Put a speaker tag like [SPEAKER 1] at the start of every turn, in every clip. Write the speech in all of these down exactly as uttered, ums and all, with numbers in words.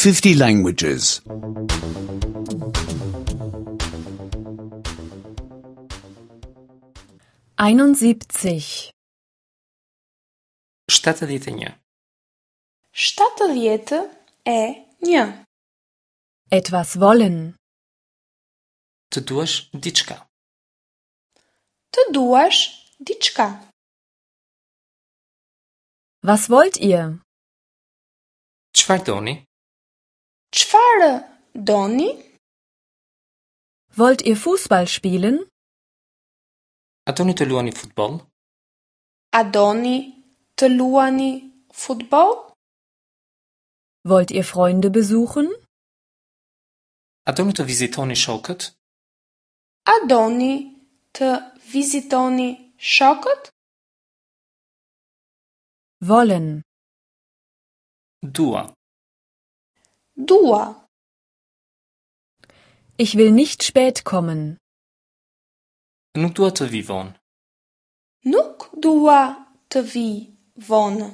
[SPEAKER 1] fifty languages.
[SPEAKER 2] Einundsiebzig.
[SPEAKER 3] shtatëdhjetë e një.
[SPEAKER 4] Shtatëdhjetë e një.
[SPEAKER 2] Etwas wollen.
[SPEAKER 3] Të duash diçka.
[SPEAKER 4] Të duash diçka.
[SPEAKER 2] Was wollt ihr?
[SPEAKER 3] Çfarë doni?
[SPEAKER 4] Çfarë doni?
[SPEAKER 2] Wollt ihr Fußball spielen?
[SPEAKER 3] A doni të luani futboll?
[SPEAKER 4] A doni të luani futboll?
[SPEAKER 2] Wollt ihr Freunde besuchen?
[SPEAKER 3] A doni të vizitoni shokët?
[SPEAKER 4] A doni të vizitoni shokët?
[SPEAKER 2] Wollen.
[SPEAKER 3] Dua.
[SPEAKER 4] Dua.
[SPEAKER 2] Ich will nicht spät kommen.
[SPEAKER 3] Nuk dua të vi vonë.
[SPEAKER 4] Nuk dua të vi vonë.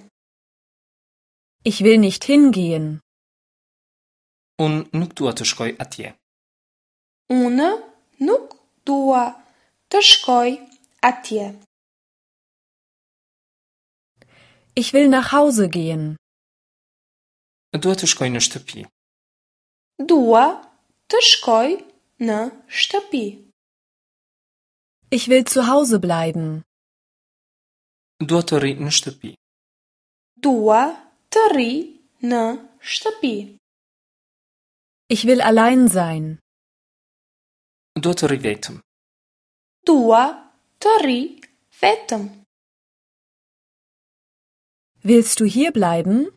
[SPEAKER 2] Ich will nicht hingehen.
[SPEAKER 3] Unë nuk dua të shkoj atje.
[SPEAKER 4] Unë nuk dua të shkoj atje.
[SPEAKER 2] Ich will nach Hause gehen.
[SPEAKER 3] Dua të shkoj në shtëpi.
[SPEAKER 4] Dua të shkoj në shtëpi.
[SPEAKER 2] Ich will zu Hause bleiben.
[SPEAKER 3] Dua të rri në shtëpi.
[SPEAKER 4] Dua të rri në shtëpi.
[SPEAKER 2] Ich will allein sein.
[SPEAKER 3] Dua të rri vetëm.
[SPEAKER 4] Dua të rri vetëm.
[SPEAKER 2] Willst du hier bleiben?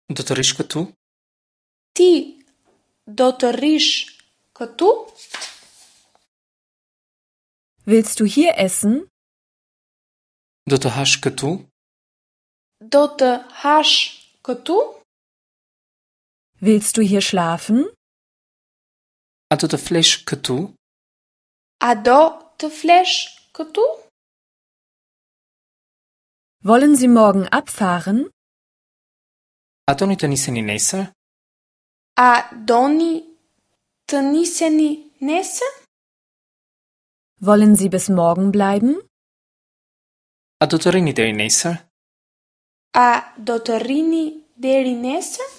[SPEAKER 3] Do të rrish këtu?
[SPEAKER 4] Ti do të rrish këtu?
[SPEAKER 2] Willst du hier essen?
[SPEAKER 3] Do të hash këtu?
[SPEAKER 4] Do të hash këtu?
[SPEAKER 2] Willst du hier schlafen?
[SPEAKER 3] A do të flesh këtu?
[SPEAKER 4] A do të flesh këtu?
[SPEAKER 2] Wollen Sie morgen abfahren?
[SPEAKER 3] A doni të niseni nesër?
[SPEAKER 4] A doni të niseni nesër?
[SPEAKER 2] Wollen Sie bis morgen bleiben?
[SPEAKER 3] A do të rrini deri nesër?
[SPEAKER 4] A do të rrini deri nesër?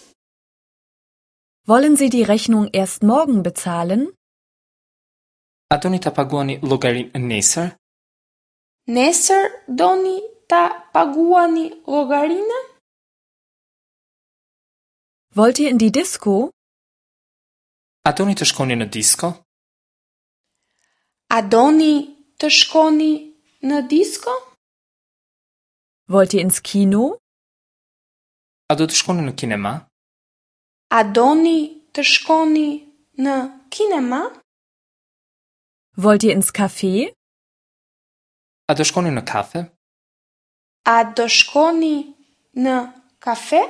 [SPEAKER 2] Wollen Sie die Rechnung erst morgen bezahlen?
[SPEAKER 3] A doni ta paguani llogarinë nesër?
[SPEAKER 4] Nesër doni ta paguani llogarinë?
[SPEAKER 2] Wollt ihr in die Disco?
[SPEAKER 3] A doni të shkoni në disko?
[SPEAKER 4] A doni të shkoni në disko?
[SPEAKER 2] Wollt ihr ins Kino?
[SPEAKER 3] A do të shkoni në kinema?
[SPEAKER 4] A doni të shkoni në kinema?
[SPEAKER 2] Wollt ihr ins Café?
[SPEAKER 3] A do shkoni në kafe?
[SPEAKER 4] A do shkoni në kafe?